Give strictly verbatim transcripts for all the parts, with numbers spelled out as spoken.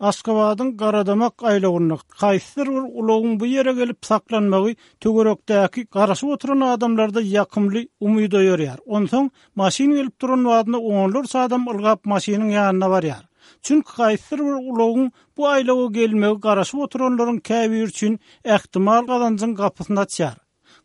Aşgabadyň Garadamak aýlawynda haýsydyr bir ulagyň bu ýere gelip saklanmagy töwerekdäki garaşyp oturan adamlarda ýakymly umyt oýarýar. Onsoň maşyn gelip duran badyna onlarça adam ylgap maşynyň ýanyna barýar. Çünki haýsydyr bir ulagyň bu aýlawa gelmegi garaşyp oturanlaryň käbiri üçin ähtimal gazanjyň gapysyny açýar.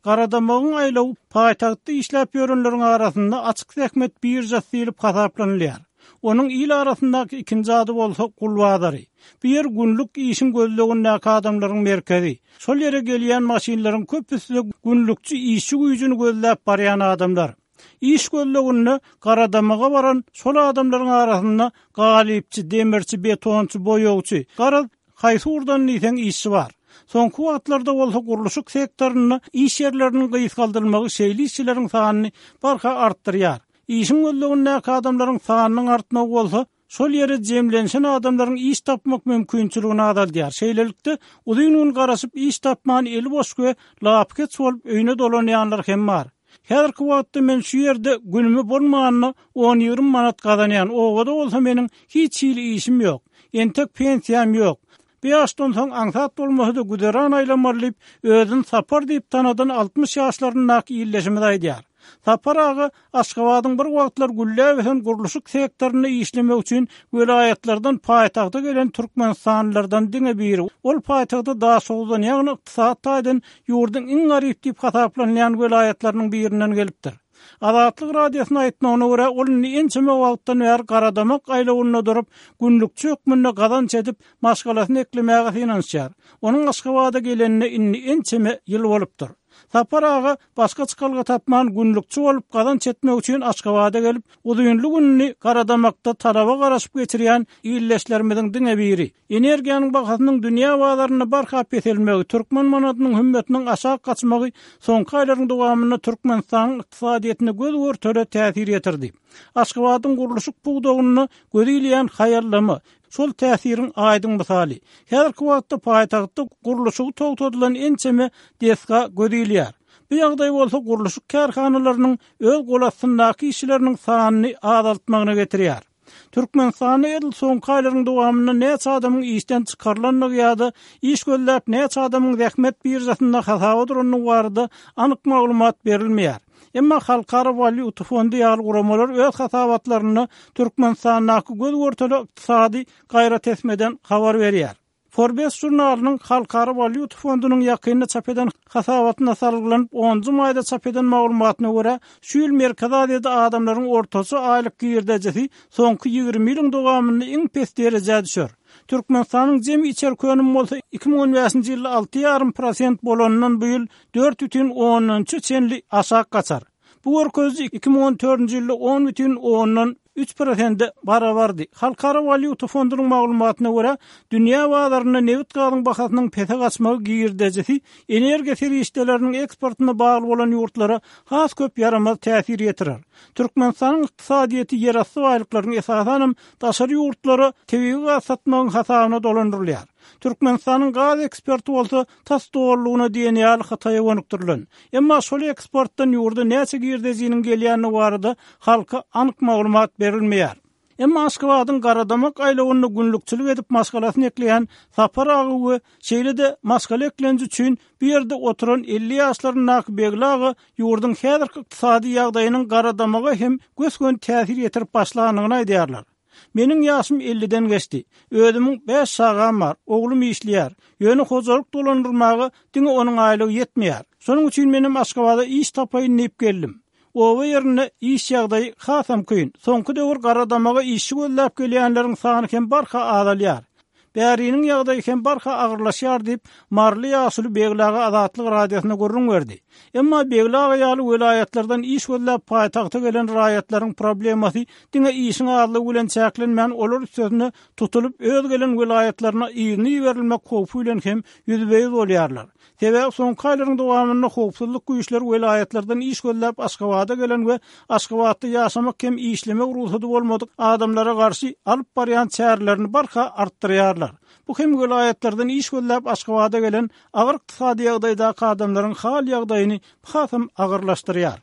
Garadamagyň aýlawy paýtagtda işläp ýörenleriň arasynda açyk zähmet biržasy diýlip hasaplanylýar. Onuň il arasyndaky ikinji ady bolsa gul bazary. Bu ýer günlük işiň gözlegindäki adamlaryň merkezi. Şol ýere gelýän maşynlaryň köpüsi günlükçi işçi güýjüni gözläp barýan adamlar. Iş gözleginde Garadamaga baran şol adamlaryň arasynda galypçy, demirçi, betonçy, boýagçy, garaz haýsy ugurdan diýseň işçi bar. Soňky wagtlarda bolsa gurluşyk sektorynda iş ýerleriniň gysgaldylmagy şeýle işçileriň sanyny barha artdyrýar. Işiň gözlegindäki adamlaryň sanynyň artmagy bolsa şol ýere jemlenşen adamlaryň iş tapmak mümkinçiligini azaldýar. Şeýlelikde uzyn gün garaşyp iş tapman eli boş we lapykeç bolup öýüne dolanýanlar hem bar. Häzirki wagtda men şu ýerde günümi bolmanyna on ýigrimi manat gazanýan, obada bolsa meniň hiç hili işim ýok. Entek pensiýam ýok. Bu ýaşdan soň aňsat bolmasa-da güzeran aýlamaly diýip, özüni Sapar diýip tanadan altmyş ýaşlaryndaky illeşimiz aýdýar. Sapar aga Aşgabadyň bir wagtlar gülläp ösen gurluşyk sektorynda işlemek üçin welaýatlardan paýtagta gelen Türkmenistanlylardan diňe biri. Ol paýtagta Daşoguzdan, ýagny ykdysady taýdan ýurduň iň garyp diýip hasaplanýan welaýatlarynyň birinden gelipdir. Azatlyk radiosyna aýtmagyna görä, ol indi ençeme wagtdan bäri Garadamak aýlawynda durup, günlükçi hökmünde gazanç edip, maşgalasyny eklemäge synanyşýar. Onuň Aşgabada gelenine indi ençeme ýyl bolupdyr. Sapar aga başga çykalga tapman günlükçi bolup gazanç etmek üçin Aşgabada gelip, uzynly gününi Garadamakda talaba garaşyp geçirýän illeşlerimiziň diňe biri. Energiýanyň bahasynyň dünýä bazarynda barha peselmegi, türkmen manadynyň hümmetiniň aşak gaçmagy soňky aýlaryň dowamynda Türkmenistanyň ykdysadyýetine göz görtele täsir ýetirdi. Aşgabadyň gurluşyk pudagynda göz ilýän haýallama şol täsiriň aýdyň mysaly. Häzirki wagtda paýtagtda gurluşygy togtadylan ençeme desga göz ilýär. Bu ýagdaý bolsa gurluşyk kärhanalarynyň öz gol astyndaky işçileriniň sanyny azaltmagyna getirýär. Türkmenistanda edil soňky aýlaryň dowamynda näçe adamyň işden çykarylandygy ýa-da iş gözläp näçe adamyň zähmet biržasynda hasaba durandygy barada anyk maglumat berilmeýär. Emma Halkara Walýuta fondy ýaly guramalar öz hasabatlarynda Türkmenistandaky göz görtele ykdysady gaýratesmeden habar berýär. Forbes žurnalynyň Halkara Walýuta fondunyň ýakynda çap eden hasabatyna salgylanyp onunjy maýda çap eden maglumatyna görä, şu ýyl Merkezi Aziýada adamlaryň ortaça aýlyk girdejisi soňky ýigrimi ýylyň dowamynda iň pes derejä düşer. Türkmenistanyň jemi içerki önümi bolsa iki müň on bäşinji ýylda alty ýarym prosent bolandan bu ýyl dört bütin ondan üçe çenli aşak gaçar. Bu görkeziji iki müň on dördünji ýylda on bütin ondan üç prosente barabardy. Halkara Walýuta fondunyň maglumatyna görä, dünýä bazarynda nebit gazyň bahasynyň pese gaçmagy girdejisi energiýa serişdeleriniň eksportyna bagly bolan ýurtlara has köp ýaramaz täsir ýetirer. Türkmenistanyň ykdysadyýeti ýerasty baýlyklaryň esasanam daşary ýurtlara tebigy gaz satmagyň hasabyna dolandyrylýar. Türkmenistanyň gaz eksporty bolsa tas dollugyna diýen ýaly Hytaýa gönükdirilen. Emma şol eksportdan ýurda näçe girdejiniň gelýändigi barada halka anyk maglumat berilmeýär. Emma Aşgabadyň Garadamak aýlawynda günlükçilik edip maşgalasyny ekleýän Sapar aga we şeýle-de maşgala eklenji üçin bu ýerde oturan elli ýaşlaryndaky Begli aga ýurduň häzirki ykdysady ýagdaýynyň Garadamaga hem gös-göni täsir ýetirip başlandygyny aýdýarlar. Meniň ýaşym elliden geçdi. Özümiň bäş çagam bar, oglum işleýär. Ýöne hojalyk dolandyrmaga diňe onuň aýlygy ýetmeýär. Şonuň üçin menem Aşgabada iş tapaýyn diýip geldim. Oba ýerinde iş ýagdaýy hasam kyn. Soňky döwür Garadamaga işçi gözläp gelýänleriň sany hem barha azalýar. Bäriniň ýagdaýy hem barha agyrlaşýar diýip, Marly ýaşuly Begli aga Azatlyk radiosyna gürrüň berdi. Emma Begli aga ýaly welaýatlardan iş gözläp paýtagta gelen raýatlaryň problemasy diňe işiň azlygy bilen çäklenmän, olar üstesine tutulyp öz gelen welaýatlaryna yzyny iberilmek howpy bilen hem ýüzbe-ýüz bolýarlar. Sebäbi soňky aýlaryň dowamynda howpsuzlyk güýçleri welaýatlardan iş gözläp Aşgabada gelen we Aşgabatda ýaşamak hem işlemek rugsady bolmadyk adamlara garşy alyp barýan çärelerini barha artdyrýarlar. Bu hem welaýatlardan iş gözläp Aşgabada gelen agyr ykdysady ýagdaýdaky adamlaryň hal ýagdaýyny hasam agyrlaşdyrýar.